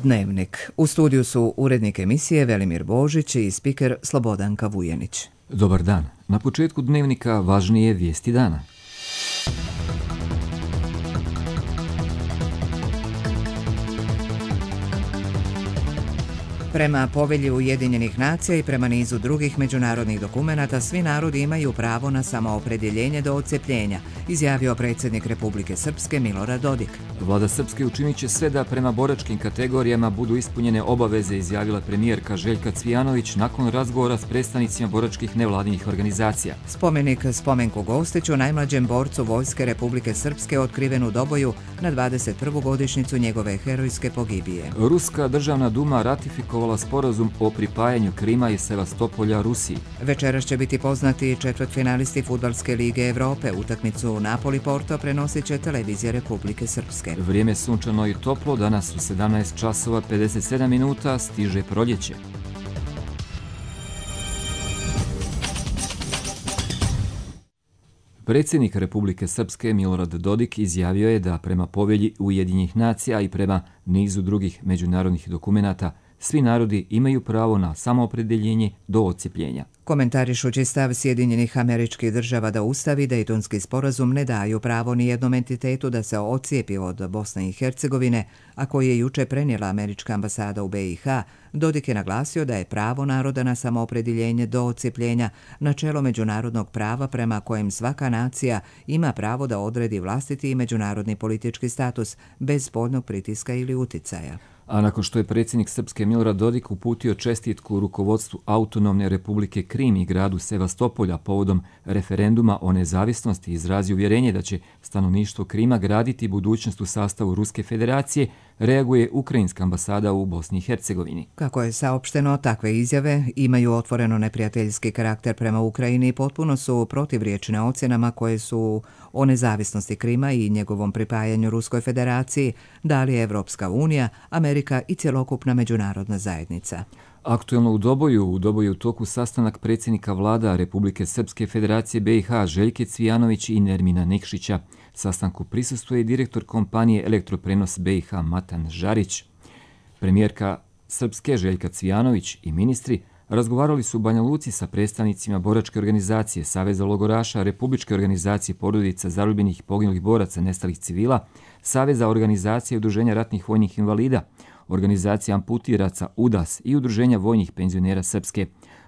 Dnevnik. U studiju su urednik emisije Velimir Božić i spiker Slobodanka Vujenić. Dobar dan. Na početku Dnevnika važnije vijesti dana. Prema povelji Ujedinjenih nacija i prema nizu drugih međunarodnih dokumenata, svi narodi imaju pravo na samoopredjeljenje do odcepljenja, izjavio predsjednik Republike Srpske Milorad Dodik. Vlada Srpske učinit će sve da prema boračkim kategorijama budu ispunjene obaveze, izjavila premijerka Željka Cvijanović nakon razgovora s predstavnicima boračkih nevladinih organizacija. Spomenik Spomenku Gostiću, najmlađem borcu Vojske Republike Srpske, otkriven u Doboju na 21. godišnjicu njegove herojske pogibije. Ruska državna duma ratifikovala sporazum o pripajanju Krima i Sevastopolja Rusiji. Večeras će biti poznati četvrtfinalisti Fudbalske lige Evrope. Utakmicu Napoli-Porto prenosit će televizija Republike Srpske. Vrijeme sunčano i toplo, danas u 17 časova 57 minuta stiže proljeće. Predsjednik Republike Srpske Milorad Dodik izjavio je da prema povelji Ujedinjenih nacija i prema nizu drugih međunarodnih dokumenata svi narodi imaju pravo na samoopredjeljenje do odcepljenja. Komentarišući stav Sjedinjenih Američkih Država da Ustav i Dejtonski sporazum ne daju pravo ni jednom entitetu da se odcijepi od Bosne i Hercegovine, a koji je juče prenijela američka ambasada u BiH, Dodik je naglasio da je pravo naroda na samoopredjeljenje do odcijepljenja načelo međunarodnog prava prema kojem svaka nacija ima pravo da odredi vlastiti i međunarodni politički status bez spoljnog pritiska ili uticaja. A nakon što je predsjednik Srpske Milorad Dodik uputio čestitku rukovodstvu Autonomne Republike Krim i gradu Sevastopolja povodom referenduma o nezavisnosti, izrazio uvjerenje da će stanovništvo Krima graditi budućnost u sastavu Ruske federacije, reaguje Ukrajinska ambasada u Bosni i Hercegovini. Kako je saopšteno, takve izjave imaju otvoreno neprijateljski karakter prema Ukrajini i potpuno su protivriječne ocjenama koje su o nezavisnosti Krima i njegovom pripajanju Ruskoj federaciji dali Evropska unija, Amerika i cjelokupna međunarodna zajednica. Aktuelno u Doboju u toku sastanak predsjednika vlada Republike Srpske Federacije BiH Željke Cvijanović i Nermina Nikšića. Sastanku prisustvuje i direktor kompanije Elektroprenos BiH Matan Žarić. Premijerka Srpske Željka Cvijanović i ministri razgovarali su u Banja Luci sa predstavnicima boračke organizacije, Saveza logoraša, Republičke organizacije porodica zarobljenih i poginulih boraca nestalih civila, Saveza organizacije i udruženja ratnih vojnih invalida, organizacija amputiraca UDAS i udruženja vojnih penzionera Srpske.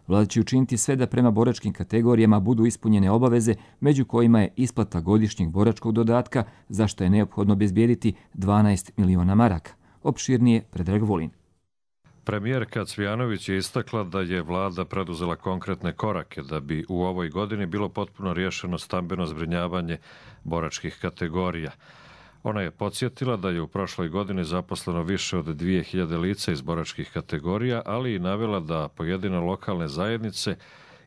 Vlada će učiniti sve da prema boračkim kategorijama budu ispunjene obaveze, među kojima je isplata godišnjeg boračkog dodatka, za što je neophodno obezbijediti 12 miliona maraka. Opširnije Predrag Volin. Premijerka Cvijanović je istakla da je vlada preduzela konkretne korake da bi u ovoj godini bilo potpuno riješeno stambeno zbrinjavanje boračkih kategorija. Ona je podsjetila da je u prošloj godini zaposleno više od 2000 lica iz boračkih kategorija, ali i navela da pojedine lokalne zajednice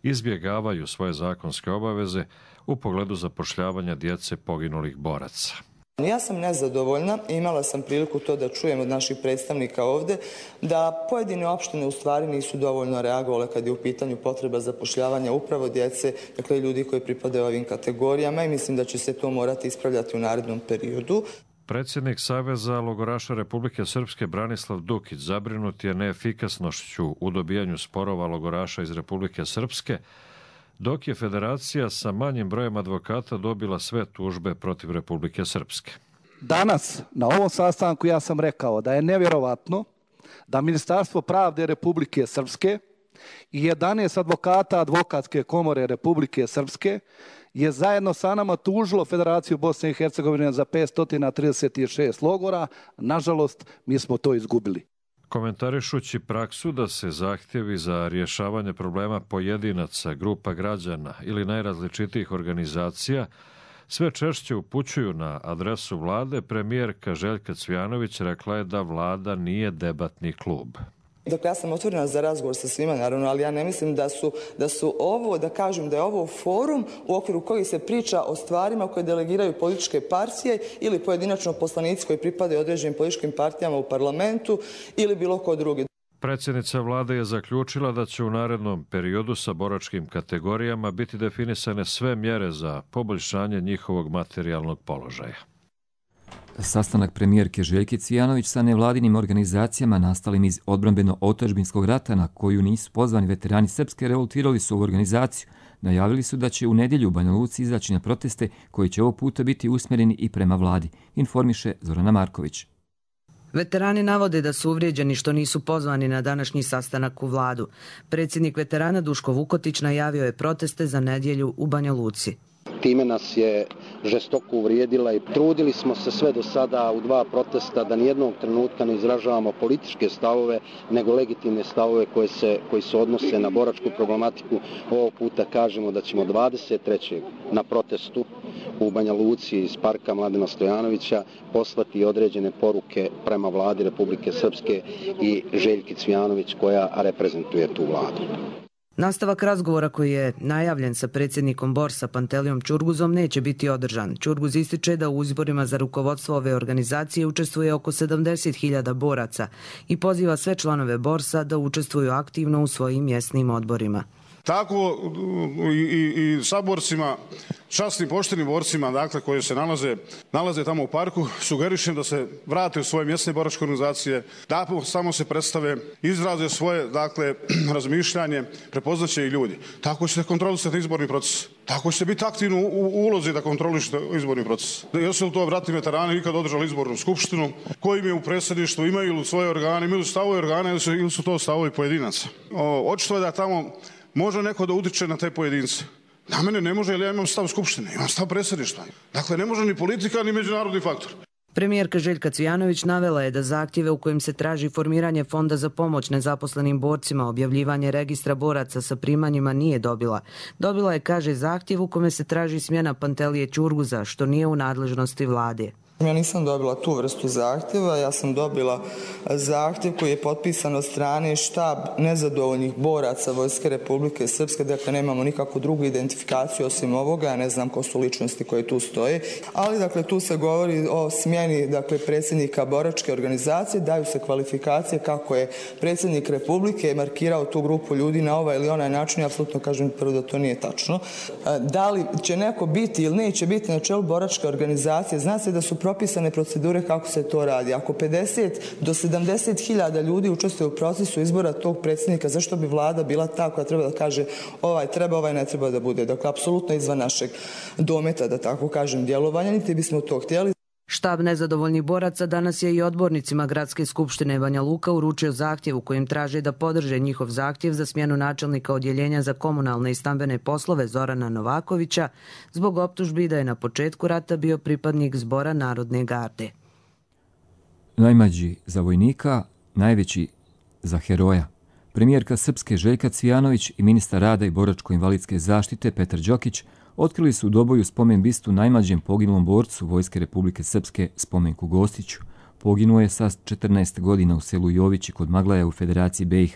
izbjegavaju svoje zakonske obaveze u pogledu zapošljavanja djece poginulih boraca. Ja sam nezadovoljna i imala sam priliku to da čujem od naših predstavnika ovdje, da pojedine opštine u stvari nisu dovoljno reagovale kad je u pitanju potreba zapošljavanja upravo djece, dakle ljudi koji pripadaju ovim kategorijama, i mislim da će se to morati ispravljati u narednom periodu. Predsjednik Saveza logoraša Republike Srpske Branislav Dukić zabrinut je neefikasnošću u dobijanju sporova logoraša iz Republike Srpske, dok je federacija sa manjim brojem advokata dobila sve tužbe protiv Republike Srpske. Danas na ovom sastanku ja sam rekao da je nevjerovatno da Ministarstvo pravde Republike Srpske i 11 advokata Advokatske komore Republike Srpske je zajedno sa nama tužilo Federaciju Bosne i Hercegovine za 536 logora. Nažalost, mi smo to izgubili. Komentarišući praksu da se zahtjevi za rješavanje problema pojedinaca, grupa građana ili najrazličitijih organizacija sve češće upućuju na adresu vlade, premijerka Željka Cvijanović rekla je da vlada nije debatni klub. Dakle, ja sam otvorena za razgovor sa svima, naravno, ali ja ne mislim da su ovo, da kažem da je ovo forum u okviru kojih se priča o stvarima koje delegiraju političke partije ili pojedinačno poslanici koji pripadaju određenim političkim partijama u parlamentu ili bilo ko drugi. Predsjednica vlade je zaključila da će u narednom periodu sa boračkim kategorijama biti definisane sve mjere za poboljšanje njihovog materijalnog položaja. Sastanak premijerke Željke Cvijanović sa nevladinim organizacijama nastalim iz odbrambeno-otadžbinskog rata na koju nisu pozvani veterani Srpske revoltirali su u organizaciju. Najavili su da će u nedjelju u Banja Luci izaći na proteste koji će ovog puta biti usmjereni i prema vladi, informiše Zorana Marković. Veterani navode da su uvrijeđeni što nisu pozvani na današnji sastanak u vladu. Predsjednik veterana Duško Vukotić najavio je proteste za nedjelju u Banja Luci. Time nas je žestoko uvrijedila i trudili smo se sve do sada u 2 protesta da nijednog trenutka ne izražavamo političke stavove, nego legitimne stavove koji se odnose na boračku problematiku. Ovog puta kažemo da ćemo 23. na protestu u Banja Luci iz parka Mladena Stojanovića poslati određene poruke prema vladi Republike Srpske i Željki Cvijanović koja reprezentuje tu vladu. Nastavak razgovora koji je najavljen sa predsjednikom Borsa Pantelijom Ćurguzom neće biti održan. Ćurguz ističe da u izborima za rukovodstvo ove organizacije učestvuje oko 70.000 boraca i poziva sve članove Borsa da učestvuju aktivno u svojim mjesnim odborima. Tako i saborcima, časnim poštenim borcima, dakle, koji se nalaze tamo u parku, sugerišem da se vrate u svoje mjesne boračke organizacije, da samo se predstave, izraze svoje, dakle, razmišljanje, prepoznaće i ljudi. Tako ćete kontrolisati izborni proces. Tako ćete biti aktivni u ulozi da kontrolišete izborni proces. Jesu li to vratni veterani ikad održali izbornu skupštinu, koji im je u predsjedništvu, imaju li svoje organe, imaju li stavove organe ili su to stavovi pojedinaca. Očito je da tamo može neko da utiče na te pojedince. Na mene ne može, jer ja imam stav skupštine, imam stav predsjedništva. Dakle, ne može ni politika, ni međunarodni faktor. Premijerka Željka Cvijanović navela je da zahtjeve u kojim se traži formiranje fonda za pomoć nezaposlenim borcima, objavljivanje registra boraca sa primanjima nije dobila. Dobila je, kaže, zahtjev u kome se traži smjena Pantelije Ćurguza, što nije u nadležnosti vlade. Ja nisam dobila tu vrstu zahtjeva, ja sam dobila zahtjev koji je potpisan od strane štab nezadovoljnih boraca Vojske Republike Srpske, dakle nemamo nikakvu drugu identifikaciju osim ovoga, ja ne znam ko su ličnosti koje tu stoje, ali dakle tu se govori o smjeni dakle predsjednika boračke organizacije, daju se kvalifikacije kako je predsjednik Republike markirao tu grupu ljudi na ovaj ili onaj način, ja apsolutno kažem prvo da to nije tačno. Da li će neko biti ili neće biti na čelu boračke organizacije, zna se da su propisane procedure kako se to radi. Ako 50 do 70.000 ljudi učestvuje u procesu izbora tog predsjednika, zašto bi vlada bila ta koja treba da kaže ovaj treba, ovaj ne treba da bude? Dakle, apsolutno izvan našeg dometa, da tako kažem, djelovanja, niti bismo to htjeli. Štab nezadovoljnih boraca danas je i odbornicima Gradske skupštine Banja Luka uručio zahtjev u kojem traže da podrže njihov zahtjev za smjenu načelnika odjeljenja za komunalne i stambene poslove Zorana Novakovića zbog optužbi da je na početku rata bio pripadnik Zbora Narodne garde. Najmlađi za vojnika, najveći za heroja. Premijerka Srpske Željka Cvijanović i ministar rada i boračko-invalidske zaštite Petar Đokić otkrili su u Doboju spomen bistu najmlađem poginulom borcu Vojske Republike Srpske Spomenku Gostiću. Poginuo je sa 14 godina u selu Jovići kod Maglaja u Federaciji BiH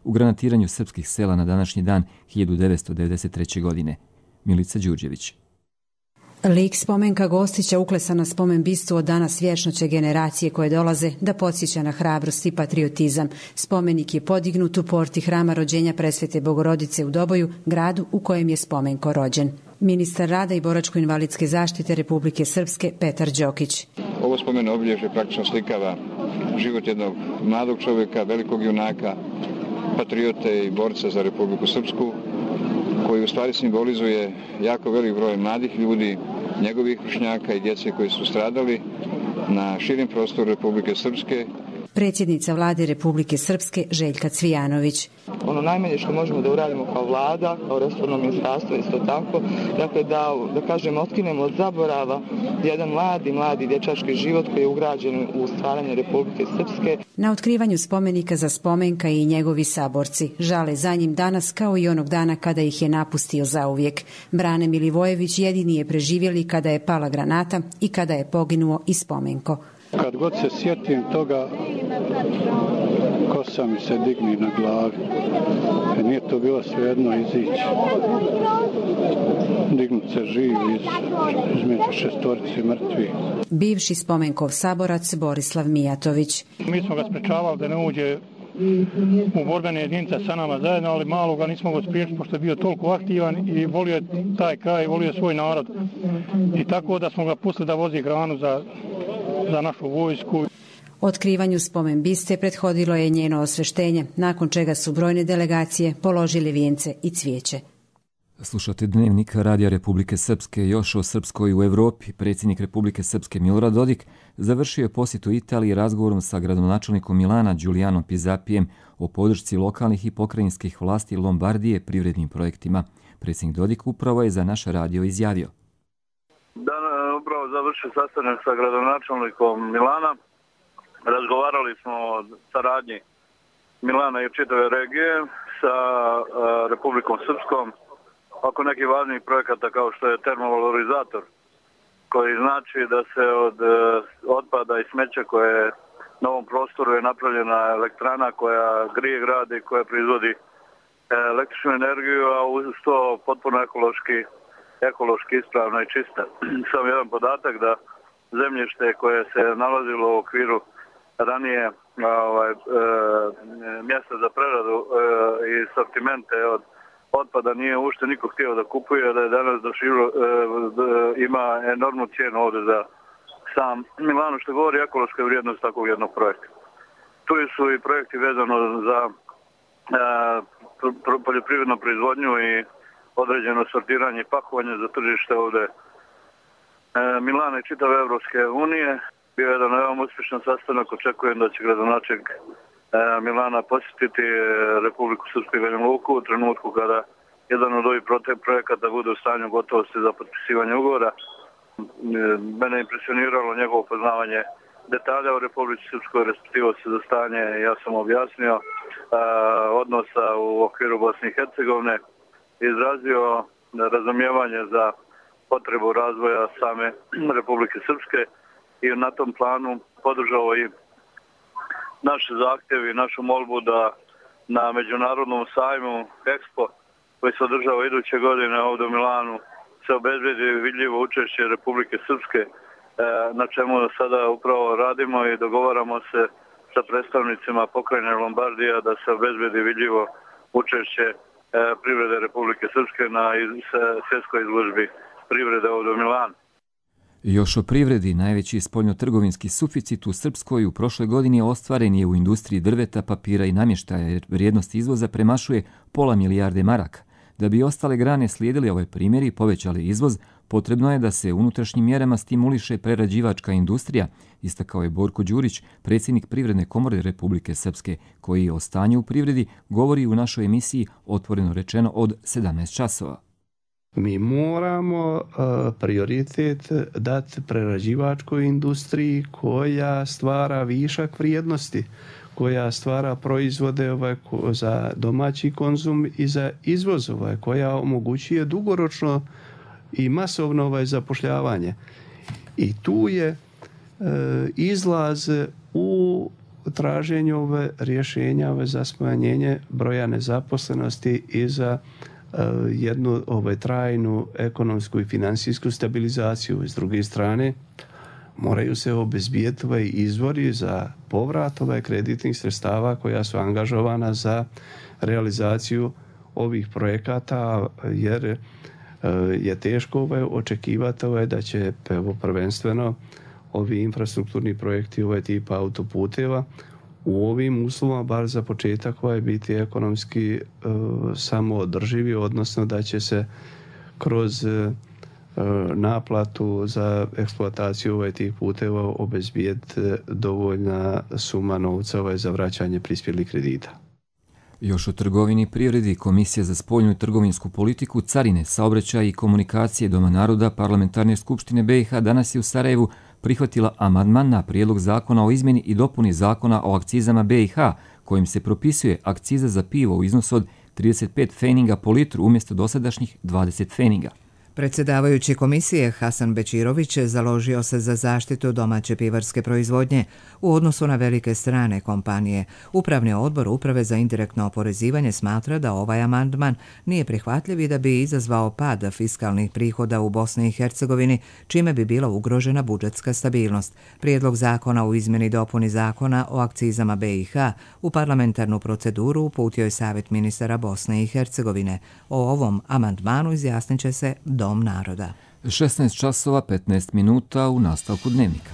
u granatiranju srpskih sela na današnji dan 1993. godine. Milica Đurđević. Lik Spomenka Gostića uklesan na spomen bistu od danas vječnoće generacije koje dolaze da podsjeća na hrabrost i patriotizam. Spomenik je podignut u porti hrama rođenja Presvete Bogorodice u Doboju, gradu u kojem je Spomenko rođen. Ministar rada i boračko-invalidske zaštite Republike Srpske Petar Đokić. Ovo spomen obilježje praktično slikava život jednog mladog čovjeka, velikog junaka, patriote i borca za Republiku Srpsku, koji u stvari simbolizuje jako velik broj mladih ljudi, njegovih vršnjaka i djece koji su stradali na širim prostoru Republike Srpske. Predsjednica vlade Republike Srpske Željka Cvijanović. Ono najmanje što možemo da uradimo kao vlada, kao resorno ministarstvo isto tako, dakle da kažem otkinemo od zaborava jedan mladi dječački život koji je ugrađen u stvaranje Republike Srpske. Na otkrivanju spomenika za Spomenka i njegovi saborci žale za njim danas kao i onog dana kada ih je napustio zauvijek. Brane Milivojević jedini je preživjeli kada je pala granata i kada je poginuo i Spomenko. Kad god se sjetim toga, kosa mi se digni na glavi. Nije to bilo svejedno izići. Dignut se živ između 6 mrtvi. Bivši Spomenkov saborac Borislav Mijatović. Mi smo ga sprečavali da ne uđe u borbene jedinice sa nama zajedno, ali malo ga nismo ga spriječiti pošto je bio toliko aktivan i volio je taj kraj, volio je svoj narod. I tako da smo ga pustili da vozi hranu za za našu vojsku. Otkrivanju spomen biste prethodilo je njeno osveštenje, nakon čega su brojne delegacije položili vijence i cvijeće. Slušate Dnevnik Radija Republike Srpske. Još o Srpskoj u Evropi. Predsjednik Republike Srpske Milorad Dodik završio je posjetu Italiji razgovorom sa gradonačelnikom Milana Giulianom Pizapijem o podršci lokalnih i pokrajinskih vlasti Lombardije privrednim projektima. Predsjednik Dodik upravo je za naš radio izjavio. Upravo završio sastanak sa gradonačelnikom Milana. Razgovarali smo o saradnji Milana i čitave regije sa Republikom Srpskom oko nekih važnih projekata kao što je termovalorizator, koji znači da se od otpada i smeća koje na ovom prostoru je napravljena elektrana koja grije grad i koja proizvodi električnu energiju, a uz to potpuno ekološki ispravna i čista. Samo jedan podatak da zemljište koje se nalazilo u okviru ranije mjesta za preradu i sortimente od otpada nije uopšte niko htio da kupuje, da je danas ima enormnu cijenu ovdje za sam Milano, što govori ekološka vrijednost takvog jednog projekta. Tu su i projekti vezano za poljoprivrednu proizvodnju i određeno sortiranje i pakovanje za tržište ovdje Milana i čitave Evropske unije. Bio je jedan veoma uspješan sastanak, očekujem da će gradonačelnik Milana posjetiti Republiku Srpsku i Banja Luku u trenutku kada jedan od ovih projekata bude u stanju gotovosti za potpisivanje ugovora. Mene je impresioniralo njegovo poznavanje detalja u Republici Srpskoj, respektivo se za stanje, ja sam objasnio, odnosa u okviru Bosne i Hercegovine, izrazio razumijevanje za potrebu razvoja same Republike Srpske i na tom planu podržao i naše zahtjeve i našu molbu da na međunarodnom sajmu Expo koji se održava iduće godine ovdje u Milanu se obezbedi vidljivo učešće Republike Srpske, na čemu sada upravo radimo i dogovaramo se sa predstavnicima pokrajine Lombardija da se obezbedi vidljivo učešće privrede Republike Srpske na svjetskoj izložbi privrede ovdje u Milanu. Još o privredi, najveći spoljnotrgovinski suficit u Srpskoj u prošloj godini ostvaren je u industriji drveta, papira i namještaja, jer vrijednost izvoza premašuje pola milijarde maraka. Da bi ostale grane slijedili ovaj primjer i povećali izvoz, potrebno je da se unutrašnjim mjerama stimuliše prerađivačka industrija, istakao je Borko Đurić, predsjednik Privredne komore Republike Srpske, koji o stanju u privredi govori u našoj emisiji Otvoreno rečeno od 17 časova. Mi moramo prioritet dati prerađivačkoj industriji koja stvara višak vrijednosti, koja stvara proizvode za domaći konzum i za izvoz, koja omogućuje dugoročno i masovno zapošljavanje. I tu je izlaz u traženju rješenja za smanjenje broja nezaposlenosti i za jednu trajnu ekonomsku i financijsku stabilizaciju. S druge strane, moraju se obezbijeti izvori za povrat kreditnih sredstava koja su angažovana za realizaciju ovih projekata, jer je teško očekivati da će prvenstveno ovi infrastrukturni projekti tipa autoputeva u ovim uslovima, bar za početak, biti ekonomski samoodrživi, odnosno da će se kroz naplatu za eksploataciju tih puteva obezbijeti dovoljna suma novca za vraćanje prispjelih kredita. Još o trgovini i privredi, Komisija za spoljnu i trgovinsku politiku, carine, saobraćaj i komunikacije Doma naroda Parlamentarne skupštine BiH danas je u Sarajevu prihvatila amandman na prijedlog zakona o izmjeni i dopuni zakona o akcizama BiH, kojim se propisuje akciza za pivo u iznosu od 35 pfeninga po litru umjesto dosadašnjih 20 pfeninga. Predsjedavajući komisije Hasan Bečirović založio se za zaštitu domaće pivarske proizvodnje u odnosu na velike strane kompanije. Upravni odbor Uprave za indirektno oporezivanje smatra da ovaj amandman nije prihvatljiv i da bi izazvao pad fiskalnih prihoda u Bosni i Hercegovini, čime bi bila ugrožena budžetska stabilnost. Prijedlog zakona u izmjeni i dopuni zakona o akcizama BiH u parlamentarnu proceduru uputio je Savjet ministara Bosne i Hercegovine. O ovom amandmanu izjasnit će se Dom naroda. 16 časova 15 minuta u nastavku Dnevnika.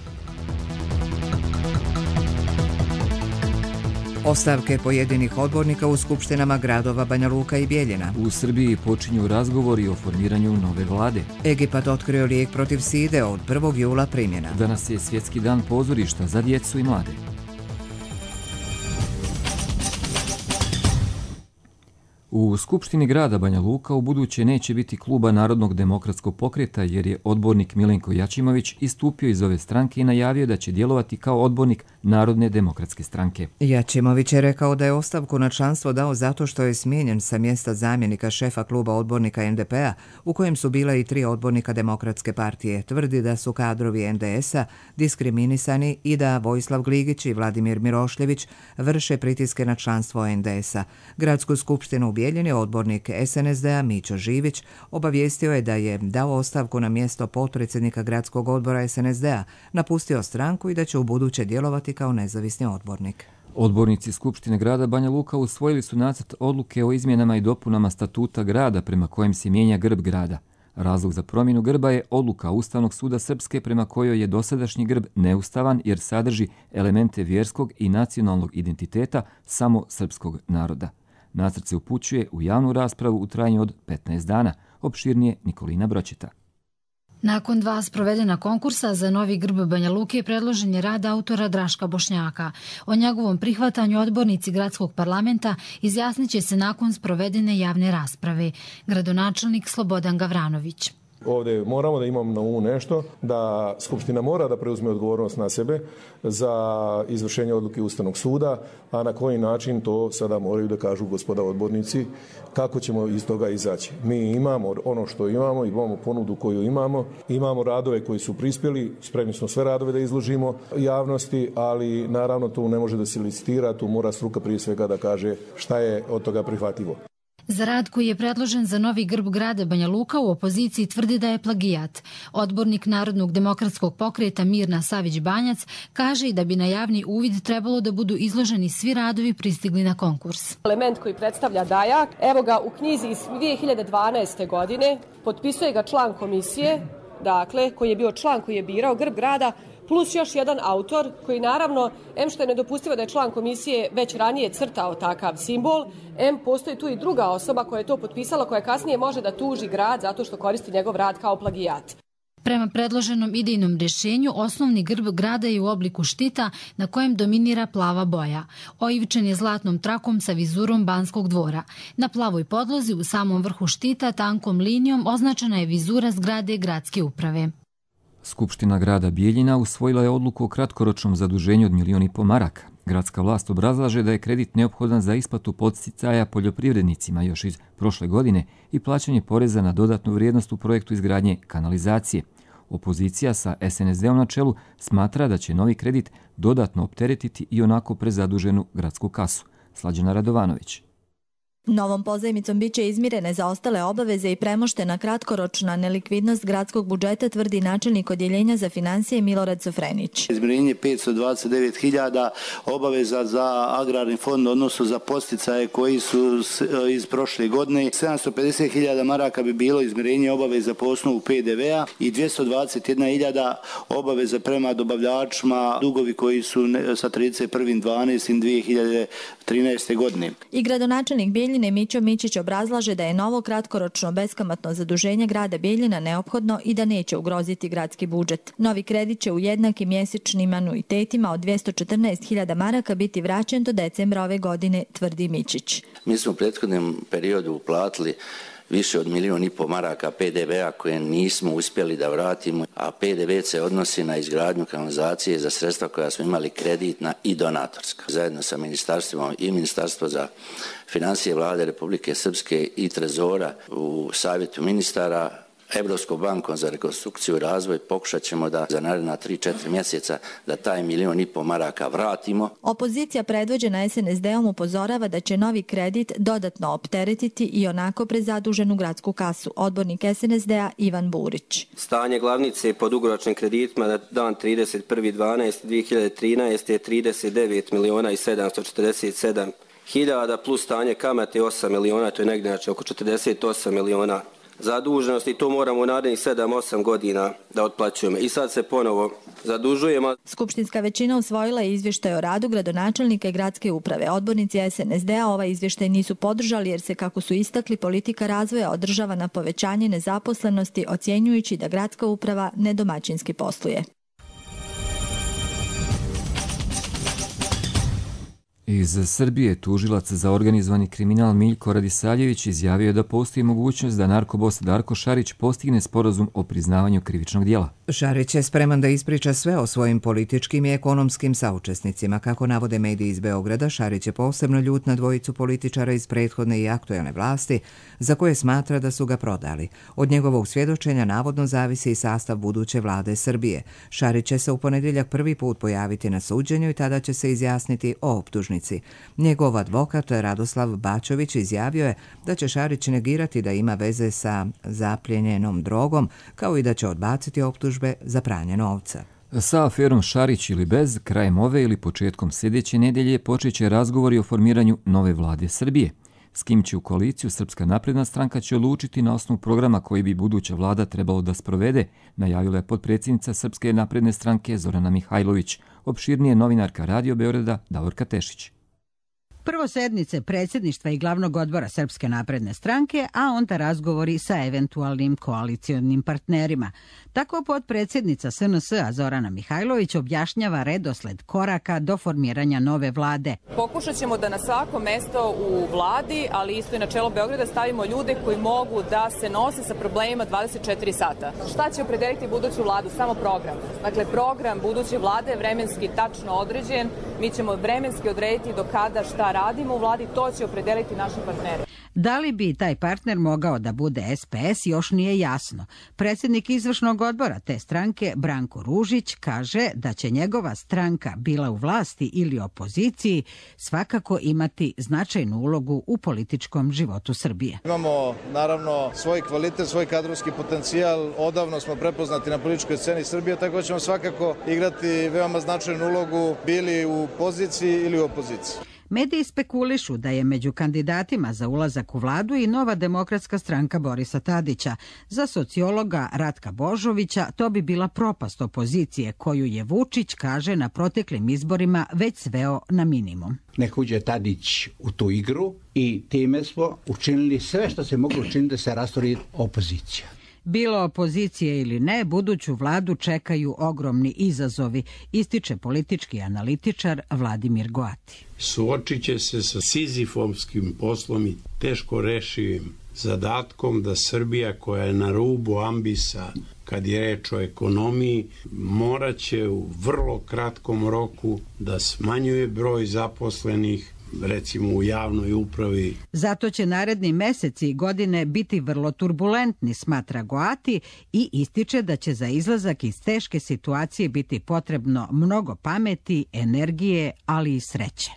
Ostavke pojedinih odbornika u skupštinama gradova Banja Luka i Bijeljina. U Srbiji počinju razgovori o formiranju nove vlade. Egipat otkrio lijek protiv side, od 1. jula primjena. Danas je Svjetski dan pozorišta za djecu i mlade. U Skupštini grada Banja Luka ubuduće neće biti kluba Narodnog demokratskog pokreta jer je odbornik Milenko Jačimović istupio iz ove stranke i najavio da će djelovati kao odbornik Narodne demokratske stranke. Jačimović je rekao da je ostavku na članstvo dao zato što je smijenjen sa mjesta zamjenika šefa kluba odbornika NDP-a u kojem su bila i 3 odbornika Demokratske partije. Tvrdi da su kadrovi NDS-a diskriminisani i da Vojislav Gligić i Vladimir Mirošljević vrše pritiske na članstvo NDS-a. Gradsku skupštinu u Bijeljini odbornik SNSD-a Mićo Živić obavijestio je da je dao ostavku na mjesto potpredsjednika gradskog odbora SNSD-a, napustio stranku i da će ubuduće djelovati kao nezavisni odbornik. Odbornici Skupštine grada Banja Luka usvojili su nacrt odluke o izmjenama i dopunama statuta grada prema kojem se mijenja grb grada. Razlog za promjenu grba je odluka Ustavnog suda Srpske prema kojoj je dosadašnji grb neustavan jer sadrži elemente vjerskog i nacionalnog identiteta samo srpskog naroda. Nacrt se upućuje u javnu raspravu u trajanju od 15 dana. Opširnije Nikolina Bročeta. Nakon 2 sprovedena konkursa za novi grb Banja Luke predložen je rad autora Draška Bošnjaka. O njegovom prihvatanju odbornici gradskog parlamenta izjasnit će se nakon sprovedene javne rasprave. Gradonačelnik Slobodan Gavranović. Ovdje moramo da imamo na umu nešto, da Skupština mora da preuzme odgovornost na sebe za izvršenje odluke Ustavnog suda, a na koji način to sada moraju da kažu gospoda odbornici, kako ćemo iz toga izaći. Mi imamo ono što imamo ponudu koju imamo radove koji su prispjeli, spremni smo sve radove da izložimo javnosti, ali naravno to ne može da se licitira, tu mora struka prije svega da kaže šta je od toga prihvatljivo. Za rad koji je predložen za novi grb grada Banja Luka u opoziciji tvrdi da je plagijat. Odbornik Narodnog demokratskog pokreta Mirna Savić-Banjac kaže i da bi na javni uvid trebalo da budu izloženi svi radovi pristigli na konkurs. Element koji predstavlja Dajak, evo ga u knjizi iz 2012. godine, potpisuje ga član komisije, dakle, koji je bio član koji je birao grb grada, plus još jedan autor koji naravno, em što je nedopustivo da je član komisije već ranije crtao takav simbol, em postoji tu i druga osoba koja je to potpisala, koja kasnije može da tuži grad zato što koristi njegov rad kao plagijat. Prema predloženom idejnom rješenju, osnovni grb grada je u obliku štita na kojem dominira plava boja. Oivičen je zlatnom trakom sa vizurom Banskog dvora. Na plavoj podlozi u samom vrhu štita tankom linijom označena je vizura zgrade gradske uprave. Skupština grada Bijeljina usvojila je odluku o kratkoročnom zaduženju od 1,5 miliona maraka. Gradska vlast obrazlaže da je kredit neophodan za isplatu podsticaja poljoprivrednicima još iz prošle godine i plaćanje poreza na dodatnu vrijednost u projektu izgradnje kanalizacije. Opozicija sa SNSD-om na čelu smatra da će novi kredit dodatno opteretiti i onako prezaduženu gradsku kasu. Slađana Radovanović. Novom pozajmicom biće izmirene zaostale obaveze i premoštena kratkoročna nelikvidnost gradskog budžeta, tvrdi načelnik odjeljenja za financije Milorad Sofrenić. Izmirenje 529.000 obaveza za agrarni fond, odnosno za podsticaje koji su iz prošle godine. 750.000 maraka bi bilo izmirenje obaveza po osnovu PDV-a i 221.000 obaveza prema dobavljačima, dugovi koji su sa 31.12.2013. godine. I gradonačelnik Bijeljine Mićo Mićić obrazlaže da je novo kratkoročno beskamatno zaduženje grada Bijeljina neophodno i da neće ugroziti gradski budžet. Novi kredit će u jednakim mjesečnim anuitetima od 214.000 maraka biti vraćen do decembra ove godine, tvrdi Mićić. Mi smo u prethodnom periodu uplatili više od 1,5 miliona maraka PDV-a koje nismo uspjeli da vratimo, a PDV se odnosi na izgradnju kanalizacije za sredstva koja smo imali kreditna i donatorska. Zajedno sa ministarstvima i Ministarstvo za financije Vlade Republike Srpske i Trezora u savjetu ministara, Evropskom bankom za rekonstrukciju i razvoj pokušat ćemo da za naredna 3-4 mjeseca da taj 1,5 miliona maraka vratimo. Opozicija predvođena SNSD-om upozorava da će novi kredit dodatno opteretiti i onako prezaduženu gradsku kasu. Odbornik SNSD-a Ivan Burić. Stanje glavnice po dugoročnim kreditima na dan 31.12.2013 je 39.747.000 plus stanje kamate 8 miliona, to je negdje oko 48 miliona zaduženost i to moramo u narednih 7-8 godina da otplaćujemo. I sad se ponovo zadužujemo. Skupštinska većina usvojila je izvještaj o radu gradonačelnika i gradske uprave. Odbornici SNSD-a ovaj izvještaj nisu podržali jer se, kako su istakli, politika razvoja održava na povećanje nezaposlenosti, ocjenjujući da gradska uprava nedomaćinski posluje. Iz Srbije tužilac za organizovani kriminal Miljko Radisavljević izjavio da postoji mogućnost da narkobos Darko Šarić postigne sporazum o priznavanju krivičnog dijela. Šarić je spreman da ispriča sve o svojim političkim i ekonomskim saučesnicima. Kako navode mediji iz Beograda, Šarić je posebno ljut na dvojicu političara iz prethodne i aktuelne vlasti, za koje smatra da su ga prodali. Od njegovog svjedočenja navodno zavisi i sastav buduće vlade Srbije. Šarić će se u ponedjeljak prvi put pojaviti na suđenju i tada će se izjasniti o optužnici. Njegov advokat Radoslav Bačović izjavio je da će Šarić negirati da ima veze sa zapljenjenom drogom, kao i da će odbaciti optužbe za pranje novca. Sa aferom Šarić ili bez, krajem ove ili početkom sljedeće nedelje počet će razgovori o formiranju nove vlade Srbije. S kim će u koaliciju Srpska napredna stranka će odlučiti na osnovu programa koji bi buduća vlada trebalo da sprovede, najavila je potpredsjednica Srpske napredne stranke Zorana Mihajlović. Opširnije novinarka Radio Beograda Davorka Tešić. Prvo sednice predsjedništva i glavnog odbora Srpske napredne stranke, a onda razgovori sa eventualnim koalicionim partnerima. Tako potpredsjednica SNS-a Zorana Mihajlović objašnjava redosled koraka do formiranja nove vlade. Pokušat ćemo da na svako mesto u vladi, ali isto i na čelo Beograda, stavimo ljude koji mogu da se nose sa problemima 24 sata. Šta će opredeliti buduću vladu? Samo program. Dakle, program buduće vlade je vremenski tačno određen. Mi ćemo vremenski odrediti do kada šta radimo u vladi, to će opredeliti naši partneri. Da li bi taj partner mogao da bude SPS još nije jasno. Predsjednik izvršnog odbora te stranke Branko Ružić kaže da će njegova stranka, bila u vlasti ili opoziciji, svakako imati značajnu ulogu u političkom životu Srbije. Imamo naravno svoj kvalitet, svoj kadrovski potencijal, odavno smo prepoznati na političkoj sceni Srbije, tako ćemo svakako igrati veoma značajnu ulogu, bili u poziciji ili u opoziciji. Mediji spekulišu da je među kandidatima za ulazak u vladu i Nova demokratska stranka Borisa Tadića. Za sociologa Ratka Božovića to bi bila propast opozicije koju je Vučić, kaže, na proteklim izborima već sveo na minimum. Nek uđe Tadić u tu igru i time smo učinili sve što se moglo učiniti da se rastori opozicija. Bilo opozicije ili ne, buduću vladu čekaju ogromni izazovi, ističe politički analitičar Vladimir Goati. Suočit će se sa sizifovskim poslom i teško rešivim zadatkom da Srbija, koja je na rubu ambisa kad je reč o ekonomiji, morat će u vrlo kratkom roku da smanjuje broj zaposlenih, recimo u javnoj upravi. Zato će naredni meseci i godine biti vrlo turbulentni, smatra Goati, i ističe da će za izlazak iz teške situacije biti potrebno mnogo pameti, energije, ali i sreće.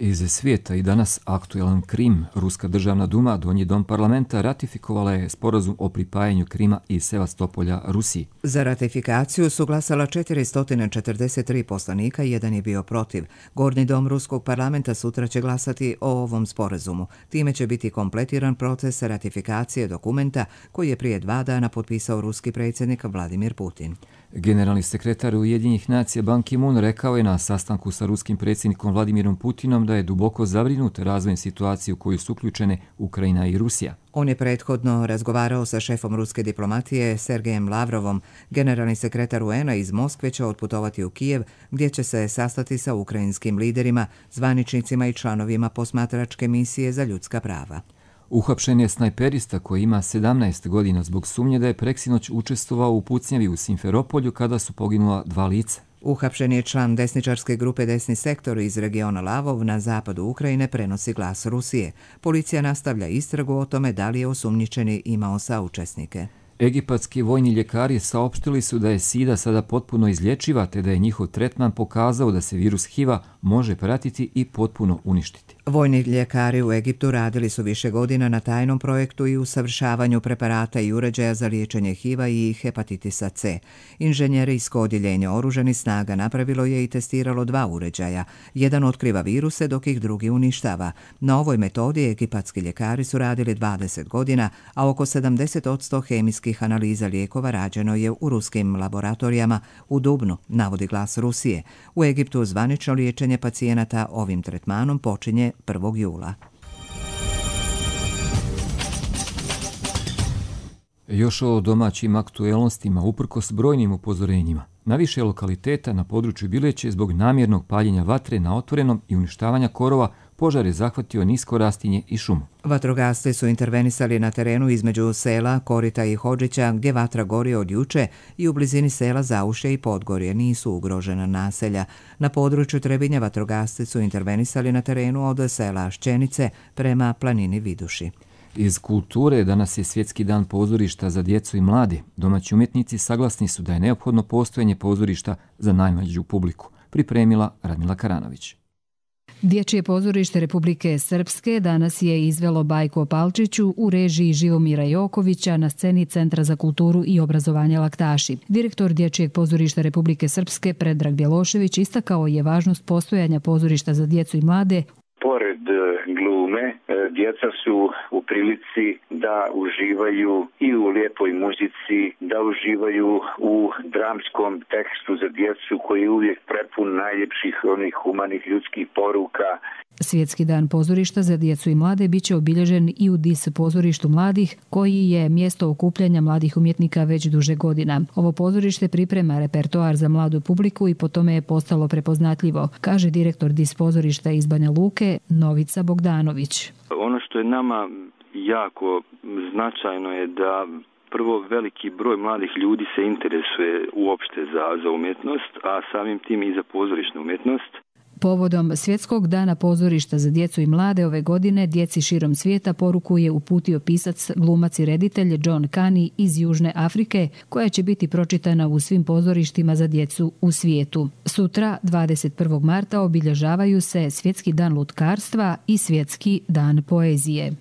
Iz svijeta i danas aktuelan Krim. Ruska državna duma, donji dom parlamenta, ratifikovala je sporazum o pripajanju Krima i Sevastopolja Rusiji. Za ratifikaciju su glasala 443 poslanika i jedan je bio protiv. Gornji dom ruskog parlamenta sutra će glasati o ovom sporazumu. Time će biti kompletiran proces ratifikacije dokumenta koji je prije 2 dana potpisao ruski predsjednik Vladimir Putin. Generalni sekretar Ujedinjenih nacija Ban Ki-moon rekao je na sastanku sa ruskim predsjednikom Vladimirom Putinom da je duboko zabrinut razvojem situacije u koju su uključene Ukrajina i Rusija. On je prethodno razgovarao sa šefom ruske diplomatije Sergejem Lavrovom. Generalni sekretar UN-a iz Moskve će otputovati u Kijev, gdje će se sastati sa ukrajinskim liderima, zvaničnicima i članovima posmatračke misije za ljudska prava. Uhapšen je snajperista koji ima 17 godina zbog sumnje da je preksinoć učestvovao u pucnjavi u Simferopolju kada su poginula 2 lica. Uhapšen je član desničarske grupe Desni sektor iz regiona Lavov na zapadu Ukrajine, prenosi Glas Rusije. Policija nastavlja istragu o tome da li je osumnjičeni imao saučesnike. Egipatski vojni ljekari saopštili su da je SIDA sada potpuno izlječiva, te da je njihov tretman pokazao da se virus HIV-a može pratiti i potpuno uništiti. Vojni ljekari u Egiptu radili su više godina na tajnom projektu i usavršavanju preparata i uređaja za liječenje HIV-a i hepatitisa C. Inženjerijsko odjeljenje oružanih snaga napravilo je i testiralo 2 uređaja. Jedan otkriva viruse, dok ih drugi uništava. Na ovoj metodi egipatski ljekari su radili 20 godina, a oko 70% hemijskih analiza lijekova rađeno je u ruskim laboratorijama u Dubnu, navodi Glas Rusije. U Egiptu zvanično liječenje pacijenata ovim tretmanom počinje 1. jula. Još o domaćim aktuelnostima uprkos brojnim upozorenjima. Na više lokaliteta na području Bileće zbog namjernog paljenja vatre na otvorenom i uništavanja korova požar je zahvatio nisko rastinje i šumu. Vatrogasci su intervenisali na terenu između sela Korita i Hodžića, gdje vatra gori od juče, i u blizini sela Zaušje i Podgorje nisu ugrožena naselja. Na području Trebinja vatrogasci su intervenisali na terenu od sela Šćenice prema planini Viduši. Iz kulture danas je Svjetski dan pozorišta za djecu i mlade. Domaći umjetnici saglasni su da je neophodno postojanje pozorišta za najmlađu publiku, pripremila Radmila Karanović. Dječje pozorište Republike Srpske danas je izvelo bajku o Palčiću u režiji Živomira Jokovića na sceni Centra za kulturu i obrazovanje Laktaši. Direktor Dječjeg pozorišta Republike Srpske Predrag Bjelošević istakao je važnost postojanja pozorišta za djecu i mlade. Pored glume, djeca su u prilici da uživaju i u lijepoj muzici, da uživaju u dramskom tekstu za djecu koji je uvijek prepun najljepših onih humanih ljudskih poruka. Svjetski dan pozorišta za djecu i mlade biće obilježen i u DIS pozorištu mladih, koji je mjesto okupljanja mladih umjetnika već duže godina. Ovo pozorište priprema repertoar za mladu publiku i po tome je postalo prepoznatljivo, kaže direktor DIS pozorišta iz Banja Luke Novica Bogdanović. Ono što je nama jako značajno je da prvo veliki broj mladih ljudi se interesuje uopšte za umjetnost, a samim tim i za pozorišnu umjetnost. Povodom Svjetskog dana pozorišta za djecu i mlade ove godine djeci širom svijeta poruku je uputio pisac, glumac i reditelj John Kani iz Južne Afrike, koja će biti pročitana u svim pozorištima za djecu u svijetu. Sutra, 21. marta, obilježavaju se Svjetski dan lutkarstva i Svjetski dan poezije.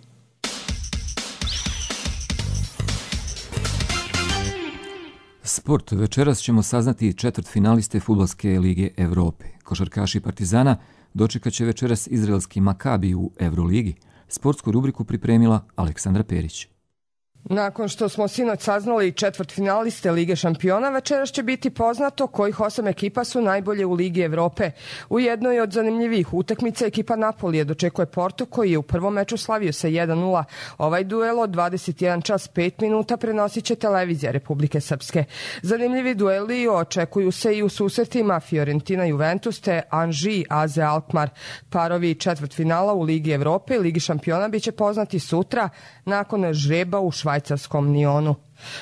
Sport. Večeras ćemo saznati četvrtfinaliste Fudbalske lige Evrope. Košarkaši Partizana dočekat će večeras izraelski Makabi u Euroligi. Sportsku rubriku pripremila Aleksandra Perić. Nakon što smo sinoć saznali četvrtfinaliste Lige šampiona, večeras će biti poznato kojih 8 ekipa su najbolje u Ligi Evrope. U jednoj od zanimljivih utakmica ekipa Napolije dočekuje Porto, koji je u prvom meču slavio sa 1:0. Ovaj duel od 21 čas 5 minuta prenosit će televizija Republike Srpske. Zanimljivi dueli očekuju se i u susretima Fiorentina Juventus te Anži AZ Alkmaar. Parovi četvrtfinala u Ligi Evrope i Ligi šampiona biće poznati sutra nakon žreba u švajcarskom Nionu.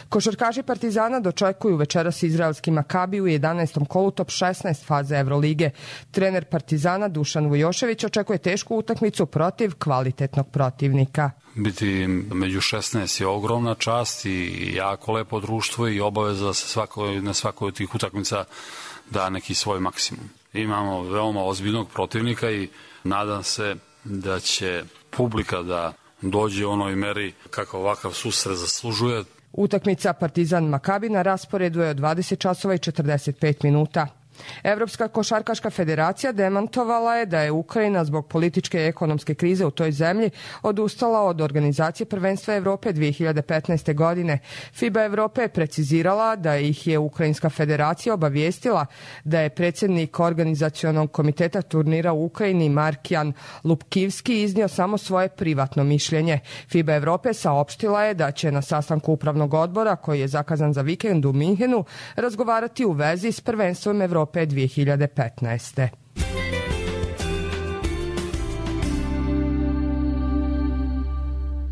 Košarkaši Partizana dočekuju večeras izraelski Makabi u 11. kolu top 16 faze Evrolige. Trener Partizana Dušan Vujošević očekuje tešku utakmicu protiv kvalitetnog protivnika. Biti među 16 je ogromna čast i jako lepo društvo i obaveza se na svakoj od tih utakmica da neki svoj maksimum. Imamo veoma ozbiljnog protivnika i nadam se da će publika da dođe u onoj meri kako ovakav susret zaslužuje. Utakmica Partizan Makabi na rasporedu je od 20 časova i 45 minuta. Evropska košarkaška federacija demantovala je da je Ukrajina zbog političke i ekonomske krize u toj zemlji odustala od organizacije prvenstva Evrope 2015. godine. FIBA Evrope je precizirala da ih je Ukrajinska federacija obavijestila da je predsjednik organizacionog komiteta turnira u Ukrajini Markijan Lupkivski iznio samo svoje privatno mišljenje. FIBA Evrope saopštila je da će na sastanku upravnog odbora, koji je zakazan za vikend u Minhenu, razgovarati u vezi s prvenstvom Evrope 2015.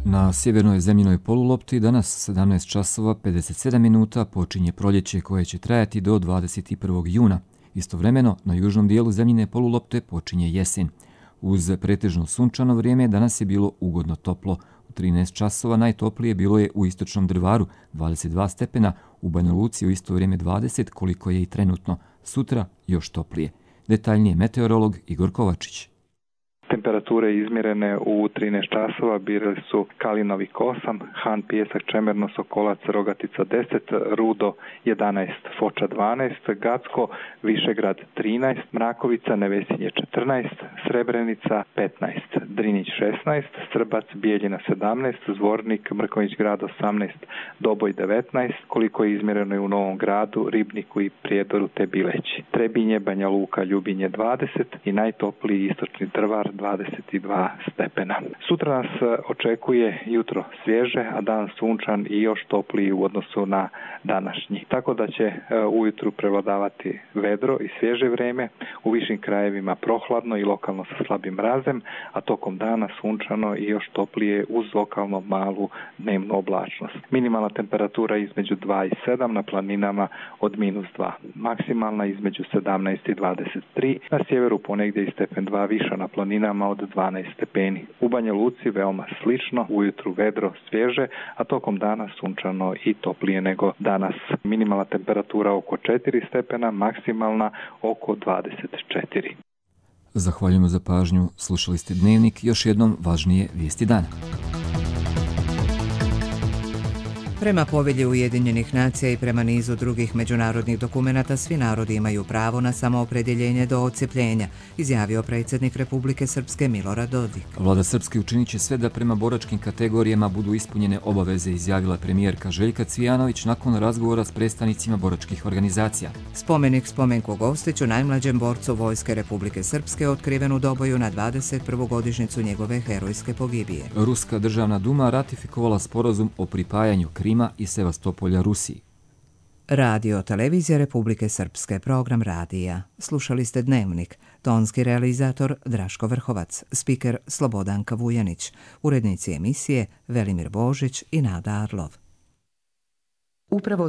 Na sjevernoj zemljinoj polulopti danas 17 časova 57 minuta počinje proljeće koje će trajati do 21. juna. Istovremeno na južnom dijelu zemljine polulopte počinje jesen. Uz pretežno sunčano vrijeme danas je bilo ugodno toplo. U 13 časova najtoplije bilo je u istočnom Drvaru 22 stepena, u Banja Luci u isto vrijeme 20, koliko je i trenutno. Sutra još toplije. Detaljnije meteorolog Igor Kovačić. Temperature izmjerene u 13 časova bili su Kalinovik 8, Han, Pijesak, Čemerno, Sokolac, Rogatica 10, Rudo 11, Foča 12, Gacko, Višegrad 13, Mrakovica, Nevesinje 14, Srebrenica 15, Drinić 16, Strbac, Bijeljina 17, Zvornik, Mrkonjić grad 18, Doboj 19, koliko je izmjereno i u Novom Gradu, Ribniku i Prijedoru te Bileći. Trebinje, Banja Luka, Ljubinje 20 i najtopliji istočni Drvar 22 stepena. Sutra nas očekuje jutro svježe, a dan sunčan i još topliji u odnosu na današnji. Tako da će ujutru prevladavati vedro i svježe vrijeme, u višim krajevima prohladno i lokalno sa slabim mrazem, a tokom dana sunčano i još toplije uz lokalno malu dnevnu oblačnost. Minimalna temperatura između 2 i 7, na planinama od -2. Maksimalna između 17 i 23, na sjeveru ponegdje i stepen 2 viša, na planinama od 12 stepeni. U Banja Luci veoma slično, ujutru vedro svježe, a tokom dana sunčano i toplije nego danas. Minimalna temperatura oko 4 stepena, maksimalna oko 24. Zahvaljujemo za pažnju, slušali ste Dnevnik, još jednom važnije vijesti dana. Prema povelji Ujedinjenih nacija i prema nizu drugih međunarodnih dokumenata, svi narodi imaju pravo na samoopredjeljenje do odcjepljenja, izjavio predsjednik Republike Srpske Milorad Dodik. Vlada Srpske učinit će sve da prema boračkim kategorijama budu ispunjene obaveze, izjavila premijerka Željka Cvijanović nakon razgovora s predstavnicima boračkih organizacija. Spomenik Spomenku Gostiću, najmlađem borcu Vojske Republike Srpske, otkriven u Doboju na 21. godišnjicu njegove herojske pogibije. Ruska državna duma ratifikovala sporazum o pripajanju Krima i Sevastopolja Rusiji. Radio Televizija Republike Srpske, program radija. Slušali ste Dnevnik. Tonski realizator Draško Vrhovac, spiker Slobodanka Vujanić, urednici emisije Velimir Božić i Nada Arlov. Upravo